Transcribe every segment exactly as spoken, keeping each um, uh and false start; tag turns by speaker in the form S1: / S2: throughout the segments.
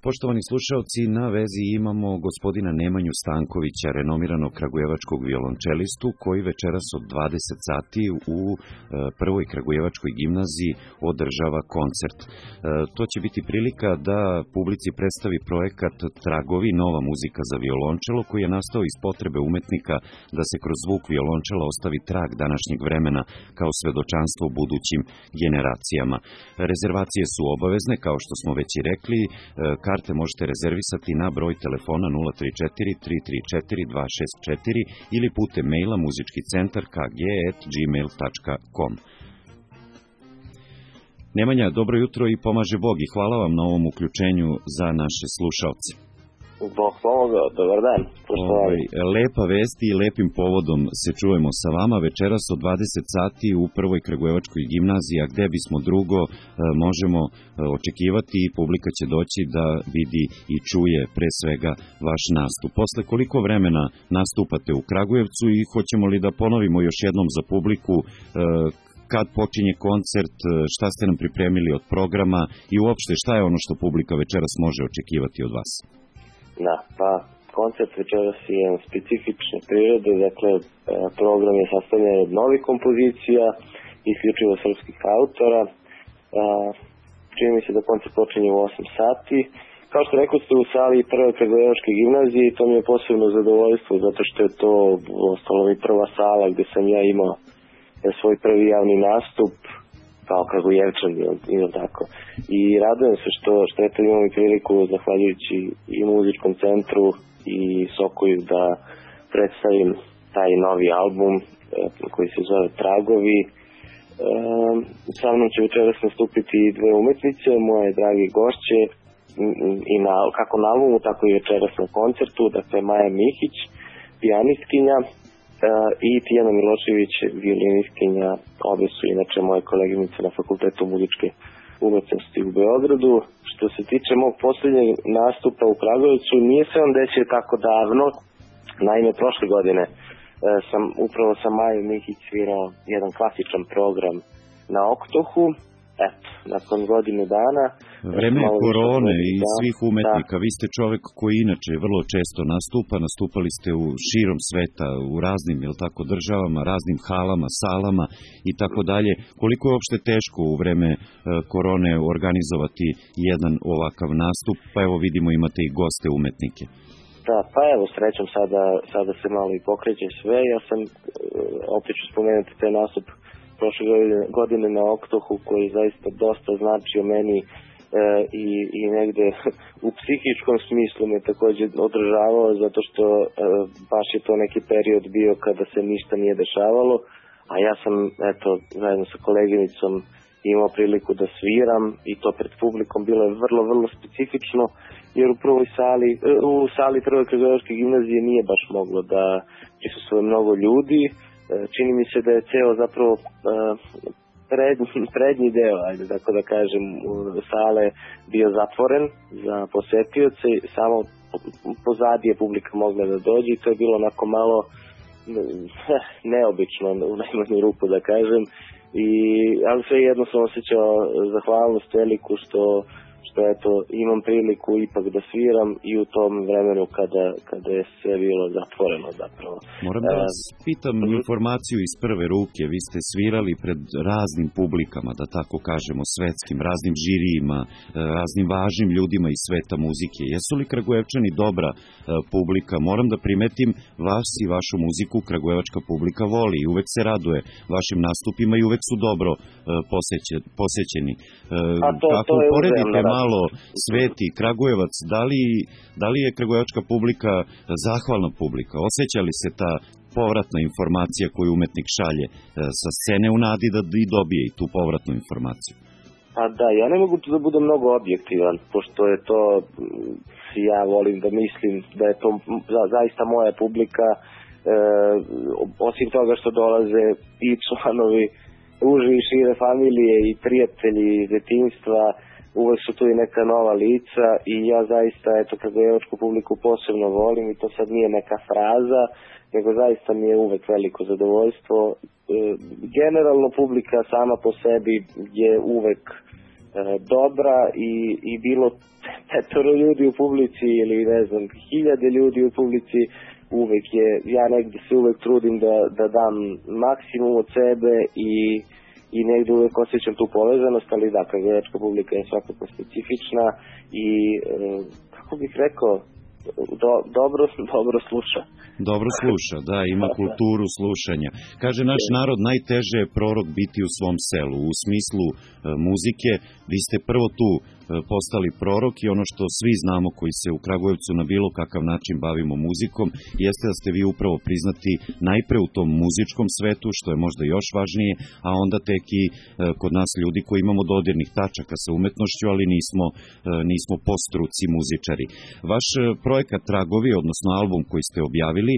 S1: Poštovani slušaoci, na vezi imamo gospodina Nemanju Stankovića, renomiranog kragujevačkog violončelistu, koji večeras od dvadeset sati u prvoj kragujevačkoj gimnaziji održava koncert. To će biti prilika da publici predstavi projekat Tragovi, nova muzika za violončelo, koji je nastao iz potrebe umetnika da se kroz zvuk violončela ostavi trag današnjeg vremena kao svedočanstvo budućim generacijama. Rezervacije su obavezne, kao što smo već i rekli. Karte možete rezervisati na broj telefona nula tri četiri tri tri četiri dva šest četiri ili putem maila muzički centar k g at gmail tačka com. Nemanja, dobro jutro i pomaže Bog i hvala vam na ovom uključenju za naše slušalce.
S2: Bog pomoga, dobar dan.
S1: Ovaj, lepa vesti i lepim povodom se čujemo sa vama večeras od dvadeset sati u prvoj kragujevačkoj gimnaziji, a gde bismo drugo možemo očekivati i publika će doći da vidi i čuje pre svega vaš nastup. Posle koliko vremena nastupate u Kragujevcu i hoćemo li da ponovimo još jednom za publiku kad počinje koncert, šta ste nam pripremili od programa i uopšte šta je ono što publika večeras može očekivati od vas?
S2: Da, pa koncert večeras je specifične prirode, dakle program je sastavljen od novih kompozicija, isključivo srpskih autora. Čini mi se da koncert počinje u osam sati. Kao što rekao ste, u sali prve kragujevačke gimnazije i to mi je posebno zadovoljstvo, zato što je to ostalo mi prva sala gde sam ja imao svoj prvi javni nastup kao kragujevčan ili tako. I radujem se što, što eto imam i priliku, zahvaljujući i muzičkom centru i Sokoju, da predstavim taj novi album koji se zove Tragovi. E, sa mnom će večeras nastupiti dve umetnice, moje drage gošće, i na, kako na albumu, tako i večeras na koncertu, dakle Maja Mihić, pijanistkinja, i Tijana Milošević, violinistkinja. Obe su inače moje koleginice na Fakultetu muzičke umetnosti u Beogradu. Što se tiče mog posljednjeg nastupa u Kragujevcu, nije se on desio tako davno. Naime, prošle godine sam upravo sa Majom Mihić svirao jedan klasičan program na Oktohu. Eto, nakon godinu dana...
S1: Vreme korone i svih umetnika. Da. Vi ste čovek koji inače vrlo često nastupa. Nastupali ste u širom sveta, u raznim, jel tako, državama, raznim halama, salama i tako dalje. Koliko je uopšte teško u vreme korone organizovati jedan ovakav nastup? Pa evo vidimo, imate i goste umetnike.
S2: Da, pa evo, srećom sada, sada se malo i pokreće sve. Ja sam, opet ću spomenuti taj nastup prošle godine na Oktohu, koji zaista dosta značio meni e, i, i negde u psihičkom smislu me takođe održavao, zato što e, baš je to neki period bio kada se ništa nije dešavalo, a ja sam, eto, zajedno sa koleginicom imao priliku da sviram i to pred publikom. Bilo je vrlo, vrlo specifično, jer u prvoj sali, u sali prve kragujevačke gimnazije nije baš moglo da prisustvuje mnogo ljudi. Čini mi se da je ceo zapravo prednji, prednji deo, ajde tako da kažem, sale bio zatvoren za posetioce, samo pozadi je publika mogla da dođe i to je bilo onako malo neobično u najmanju ruku da kažem, i, ali sve jedno sam osjećao zahvalnost veliku što što eto imam priliku ipak da sviram i u tom vremenu kada, kada je sve bilo zatvoreno zapravo.
S1: Moram da vas pitam uh, informaciju iz prve ruke. Vi ste svirali pred raznim publikama, da tako kažemo, svetskim, raznim žirijima, raznim važnim ljudima iz sveta muzike. Jesu li Kragujevčani dobra uh, publika? Moram da primetim, vas i vašu muziku kragujevačka publika voli i uvek se raduje vašim nastupima i uvek su dobro uh, poseće, posećeni. Uh,
S2: A to,
S1: kako
S2: to je
S1: poredite
S2: uzemno,
S1: malo Sveti, Kragujevac, da li, da li je kragujevačka publika zahvalna publika? Osjeća li se ta povratna informacija koju umetnik šalje sa scene u nadi da i dobije i tu povratnu informaciju?
S2: Pa da, ja ne mogu tu da budem mnogo objektivan, pošto je to, ja volim da mislim da je to zaista moja publika, e, osim toga što dolaze i članovi uže i šire familije i prijatelji iz detinjstva, uvek su tu i neka nova lica i ja zaista, eto, kragujevačku publiku posebno volim i to sad nije neka fraza, nego zaista mi je uvek veliko zadovoljstvo. E, generalno publika sama po sebi je uvek dobra i, i bilo petoro ljudi u publici ili ne znam, hiljade ljudi u publici, uvek je, ja negde se uvek trudim da, da dam maksimum od sebe i, i negde uvek osjećam tu povezanost, ali da, kragujevačka publika je svakako specifična i, kako bih rekao, Do, dobro, dobro sluša.
S1: Dobro sluša, da, ima kulturu slušanja. Kaže naš narod, najteže je prorok biti u svom selu. U smislu e, muzike, vi ste prvo tu e, postali prorok i ono što svi znamo koji se u Kragujevcu na bilo kakav način bavimo muzikom, jeste da ste vi upravo priznati najpre u tom muzičkom svetu, što je možda još važnije, a onda tek i e, kod nas ljudi koji imamo dodirnih tačaka sa umetnošću, ali nismo, e, nismo po struci muzičari. Vaš e, projekat Tragovi, odnosno album koji ste objavili,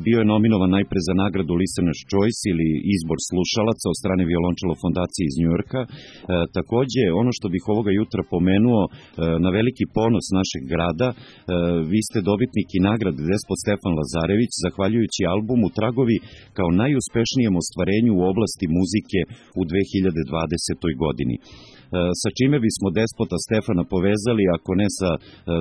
S1: bio je nominovan najpre za nagradu Listener's Choice ili izbor slušalaca od strane Violončelo fondacije iz Njujorka. Takođe, ono što bih ovoga jutra pomenuo, na veliki ponos našeg grada, vi ste dobitnik i nagrade Despot Stefan Lazarević, zahvaljujući albumu Tragovi kao najuspešnijem ostvarenju u oblasti muzike u dve hiljade dvadesetoj. godini. Sa čime bismo Despota Stefana povezali, ako ne sa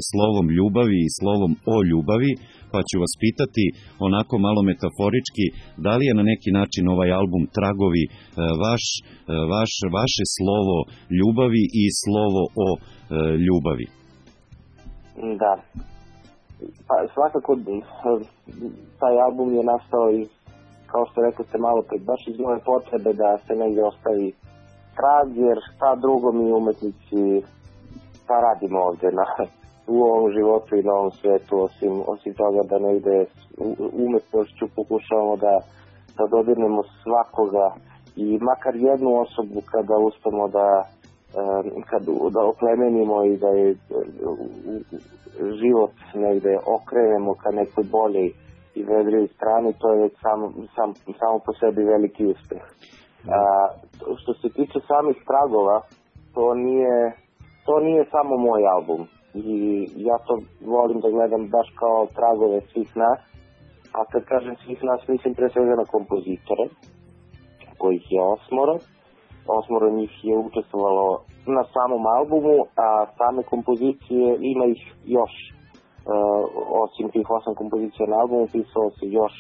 S1: slovom ljubavi i slovom o ljubavi, pa ću vas pitati onako malo metaforički, da li je na neki način ovaj album Tragovi vaš, vaš, vaše slovo ljubavi i slovo o ljubavi?
S2: Da. Pa svakako taj album je nastao iz, kao što rekao ste malo pred, baš iz moje potrebe da se negdje ostavi trag, jer šta drugo mi umetnici šta radimo ovde na, u ovom životu i na ovom svetu, osim, osim toga da negde umetnošću pokušavamo da, da dodirnemo svakoga i makar jednu osobu kada uspemo da, kad, da oplemenimo i da je život negde okrenemo ka nekoj boljoj i vedrijoj strani, to je sam, sam, samo po sebi veliki uspeh. A, što se tiče samih tragova, to nije, to nije samo moj album i ja to volim da gledam baš kao tragove svih nas, a kad kažem svih nas mislim pre svega na kompozitore, kojih je osmoro, osmoro njih je učestvovalo na samom albumu, a same kompozicije ima ih još, uh, osim tih osam kompozicija na albumu, pisalo se još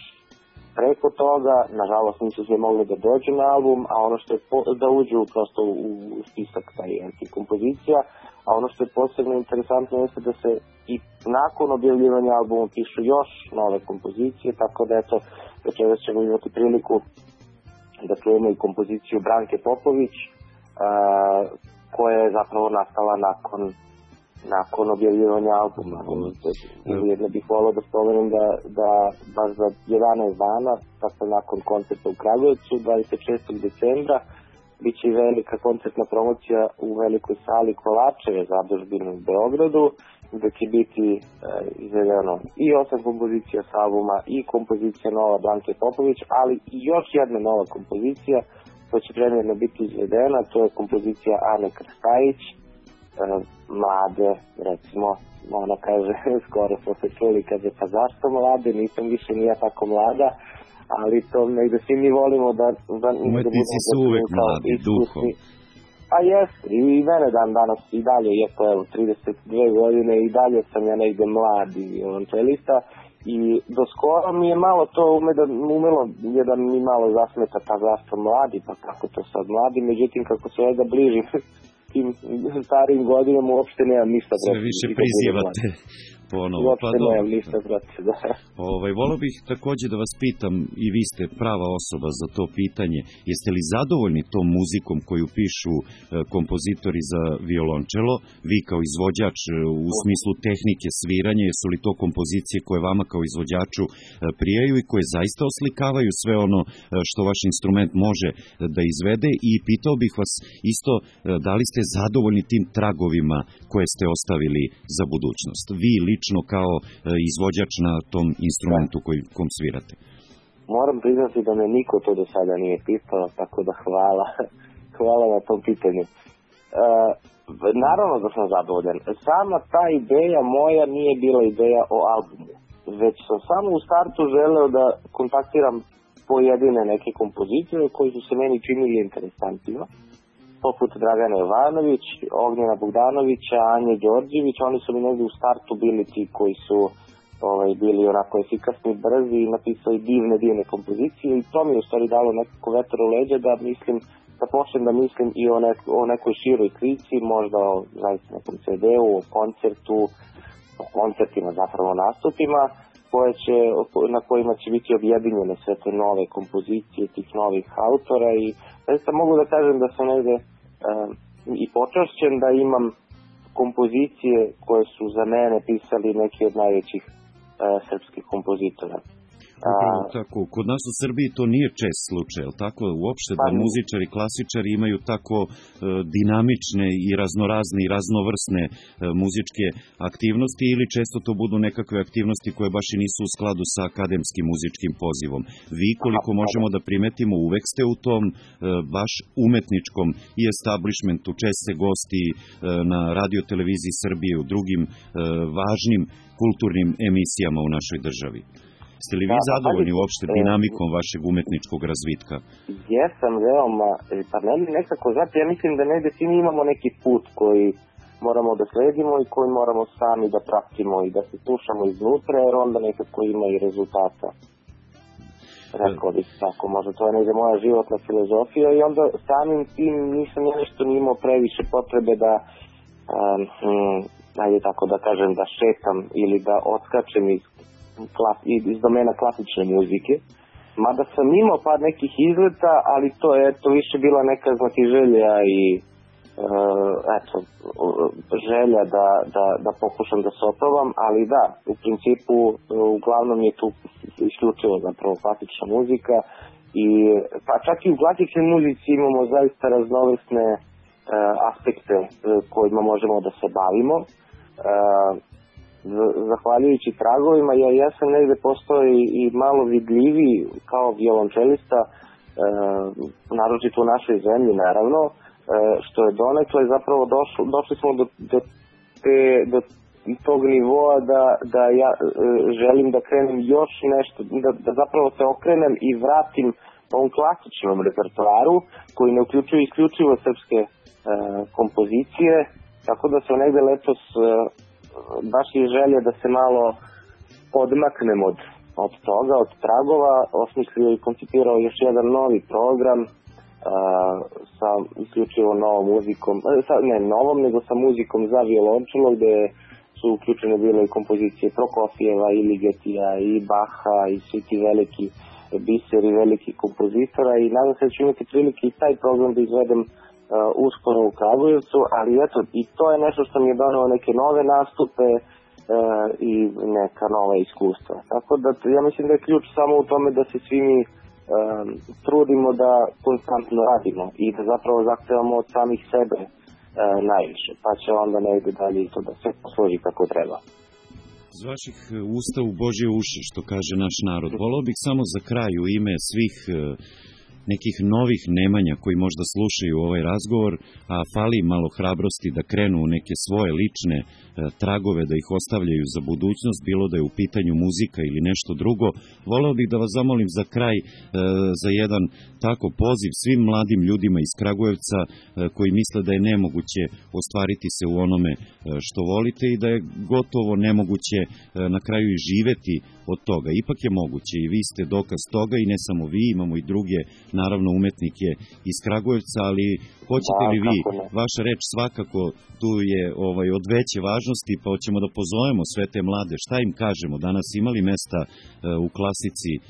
S2: preko toga, nažalost nisu sve mogli da dođu na album, a ono što je po, da uđu prosto u, u spisak taj tih kompozicija, a ono što je posebno interesantno jeste da se i nakon objavljivanja albuma pišu još nove kompozicije, tako da eto, večeras ćemo imati priliku da čujemo i kompoziciju Branke Popović, a, koja je zapravo nastala nakon nakon objavljivanja albuma. Ujedno bih volao da spomenem da, da baš za jedanaest dana, tako nakon koncerta u Kragujevcu, dvadeset šestog decembra, bit će i velika koncertna promocija u velikoj sali Kovačeve zadužbine u Beogradu, gde će biti e, izvedeno i osam kompozicija s albuma i kompozicija nova Branke Popović, ali i još jedna nova kompozicija koja će premijerno biti izvedena, to je kompozicija Ane Krstajić, mlade, recimo, ona kaže, skoro smo se čuli, kaže, pa zašto mlade, nisam više nije tako mlada, ali to negde svi mi volimo da... da
S1: umetnici su uvek mladi, duhom.
S2: A jes, i, i mene dan danas i dalje, iako evo, trideset dve godine, i dalje sam ja negde mladi violončelista, i do skoro mi je malo to ume da, umelo je da mi malo zasmeta, pa zašto mladi, pa kako to sad mladi, međutim, kako se ovdje bliži tim starijim godinama uopšte nemam ništa protiv.
S1: Sve više prizivate ponovo.
S2: Uopšte pa nemam ništa protiv, da.
S1: Ovaj, volio bih takođe da vas pitam, i vi ste prava osoba za to pitanje, jeste li zadovoljni tom muzikom koju pišu e, kompozitori za violončelo, vi kao izvođač e, u smislu tehnike sviranja, jesu li to kompozicije koje vama kao izvođaču e, prijaju i koje zaista oslikavaju sve ono e, što vaš instrument može e, da izvede, i pitao bih vas isto e, da li ste zadovoljni tim tragovima koje ste ostavili za budućnost, vi lično kao e, izvođač na tom instrumentu koji, kom svirate?
S2: Moram priznati da me niko to do sada nije pitao, tako da hvala, hvala na tom pitanju. E, naravno da sam zadovoljan. Sama ta ideja moja nije bila ideja o albumu, već sam samo u startu želeo da kontaktiram pojedine neke kompozicije koji su se meni činili interesantima, poput Dragana Jovanović, Ognjena Bogdanovića, Anje Đorđević, oni su mi negde u startu bili ti koji su ovaj, bili onako efikasni, brzi i napisali divne, divne kompozicije i to mi je u stvari dalo nekako vetar u leđa da mislim, da počnem da mislim i o, nek, o nekoj široj slici, možda o zaista nekom ce de-u, o koncertu, o koncertima, zapravo nastupima, koje će, na kojima će biti objedinjene sve te nove kompozicije tih novih autora i zaista mogu da kažem da sam negde uh, i počašćen da imam kompozicije koje su za mene pisali neki od najvećih uh, srpskih kompozitora.
S1: Upravo tako. Kod nas u Srbiji to nije čest slučaj, ali tako uopšte da muzičari, klasičari imaju tako e, dinamične i raznorazne i raznovrsne e, muzičke aktivnosti ili često to budu nekakve aktivnosti koje baš i nisu u skladu sa akademskim muzičkim pozivom. Vi, koliko možemo da primetimo, uvek ste u tom e, baš umetničkom i establishmentu, čest se gosti e, na radio televiziji Srbije u drugim e, važnim kulturnim emisijama u našoj državi. Ste li vi da, zadovoljni pa, uopšte dinamikom vašeg umetničkog razvitka?
S2: Jesam veoma, pa meni nekako, znate, ja mislim da negde svi mi imamo neki put koji moramo da sledimo i koji moramo sami da pratimo i da se slušamo iznutra, jer onda nekako ima i rezultata. Rekao bih tako, možda to je negde moja životna filozofija i onda samim tim nisam ja nešto nimao previše potrebe da, um, um, ajde tako da kažem, da šetam ili da odskačem iz Klas, iz domena klasične muzike, mada sam imao par nekih izleta, ali to je to više bila neka znači želja i uh, eto, želja da, da, da pokušam da se oprovam, ali da, u principu uglavnom je tu isključivo zapravo klasična muzika i pa čak i u klasičnoj muzici imamo zaista raznovrsne uh, aspekte uh, kojima možemo da se bavimo. Uh, zahvaljujući tragovima, ja, ja sam negde postao i, i malo vidljiviji kao violončelista, e, naročito u našoj zemlji naravno, e, što je donekle zapravo došlo, došli smo do, do, te, do tog nivoa da, da ja e, želim da krenem još nešto, da, da zapravo se okrenem i vratim ovom klasičnom repertoaru koji ne uključuje isključivo srpske e, kompozicije, tako da sam negde letos e, baš je želja da se malo odmaknem od, od toga, od tragova, osmislio i koncipirao još jedan novi program uh, sa isključivo novom muzikom, sa, ne novom, nego sa muzikom za violončelo, gde su uključene bile i kompozicije Prokofijeva i Ligetija i Baha i svi ti veliki biseri, veliki kompozitora i nadam se da ću imati prilike i taj program da izvedem Uh, uskoro u Kragujevcu, ali eto, i to je nešto što mi je donelo neke nove nastupe uh, i neka nova iskustva. Tako da ja mislim da je ključ samo u tome da se svi mi um, trudimo da konstantno radimo i da zapravo zahtevamo od samih sebe uh, najviše, pa će onda negde dalje i to da sve posloži kako treba.
S1: Z vaših usta u Božje uši, što kaže naš narod. Volao bih samo za kraj u ime svih uh, nekih novih nemanja koji možda slušaju ovaj razgovor, a fali malo hrabrosti da krenu u neke svoje lične e, tragove, da ih ostavljaju za budućnost, bilo da je u pitanju muzika ili nešto drugo. Voleo bih da vas zamolim za kraj e, za jedan tako poziv svim mladim ljudima iz Kragujevca e, koji misle da je nemoguće ostvariti se u onome e, što volite i da je gotovo nemoguće e, na kraju i živeti od toga. Ipak je moguće i vi ste dokaz toga i ne samo vi, imamo i druge naravno umetnike iz Kragujevca, ali hoćete li vi, vaša reč svakako tu je ovaj, od veće važnosti, pa hoćemo da pozovemo sve te mlade, šta im kažemo, danas imali mesta e, u klasici e,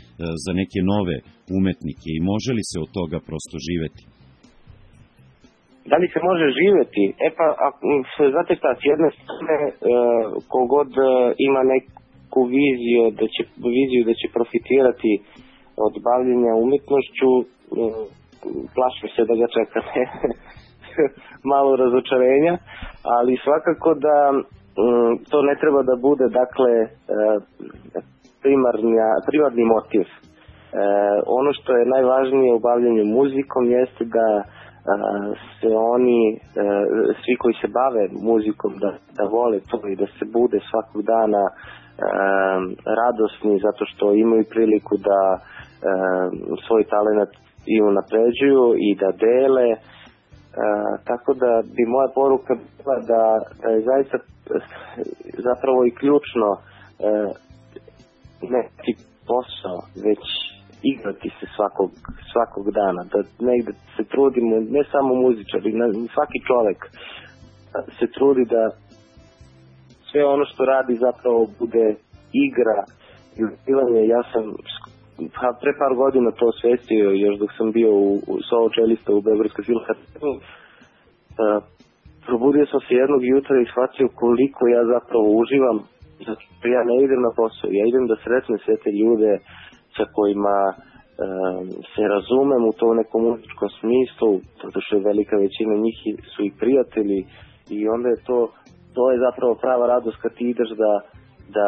S1: za neke nove umetnike i može li se od toga prosto živeti?
S2: Da li se može živeti? E pa, a, znate šta, s jedne strane, e, kogod e, ima neku viziju da će, viziju da će profitirati od bavljenja umjetnošću, plašim se da ga čeka malo razočarenja, ali svakako da to ne treba da bude dakle primarnja, primarni motiv. Ono što je najvažnije u bavljenju muzikom jeste da se oni, svi koji se bave muzikom, da, da vole to i da se bude svakog dana radosni zato što imaju priliku da svoj talent i unapređuju i da dele tako da bi moja poruka bila da, da je zaista zapravo i ključno e, neki posao, već igrati se svakog, svakog dana, da negde se trudimo, ne samo muzičari, svaki čovek se trudi da sve ono što radi zapravo bude igra i uživanje. Ja sam pa, pre par godina to osvestio, još dok sam bio u, u solo čelista u Beogradskoj filharmoniji. Probudio sam se jednog jutra i shvatio koliko ja zapravo uživam, zato što ja ne idem na posao, ja idem da sretnem sve te ljude sa kojima um, se razumem u tom nekom muzičkom smislu, zato što je velika većina njih su i prijatelji i onda je to, to je zapravo prava radost kad ti ideš da, da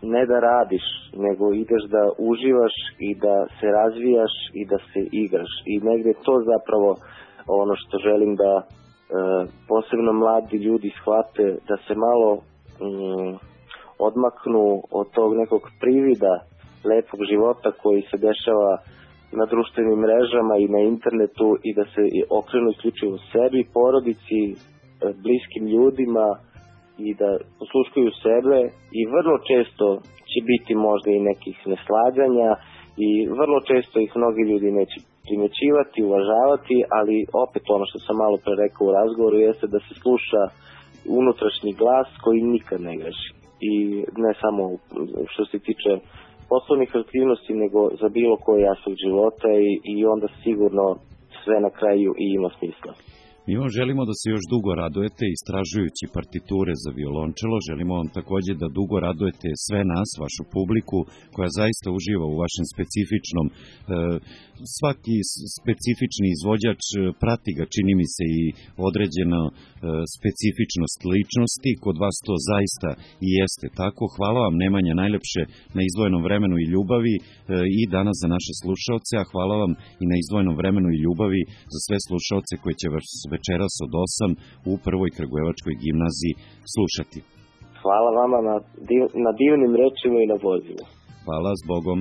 S2: ne da radiš, nego ideš da uživaš i da se razvijaš i da se igraš i negde to zapravo ono što želim da e, posebno mladi ljudi shvate, da se malo mm, odmaknu od tog nekog privida lepog života koji se dešava na društvenim mrežama i na internetu i da se okrenu isključivo sebi, porodici, bliskim ljudima i da posluškuju sebe i vrlo često će biti možda i nekih neslaganja i vrlo često ih mnogi ljudi neće primećivati, uvažavati, ali opet ono što sam malo pre rekao u razgovoru jeste da se sluša unutrašnji glas koji nikad ne greši. I ne samo što se tiče poslovnih aktivnosti, nego za bilo koji aspekt života i, i onda sigurno sve na kraju i ima smisla.
S1: Mi vam želimo da se još dugo radujete istražujući partiture za violončelo. Želimo vam takođe da dugo radujete sve nas, vašu publiku, koja zaista uživa u vašem specifičnom. E, svaki specifični izvođač prati ga, čini mi se, i određena e, specifičnost ličnosti. Kod vas to zaista i jeste tako. Hvala vam, Nemanja, najlepše na izdvojenom vremenu i ljubavi e, i danas za naše slušaoce, a hvala vam i na izdvojenom vremenu i ljubavi za sve slušaoce koji će vas večeras od osam u Prvoj Kragujevačkoj gimnaziji slušati.
S2: Hvala vama na, div, na divnim rečima i na pozivu.
S1: Hvala, s Bogom.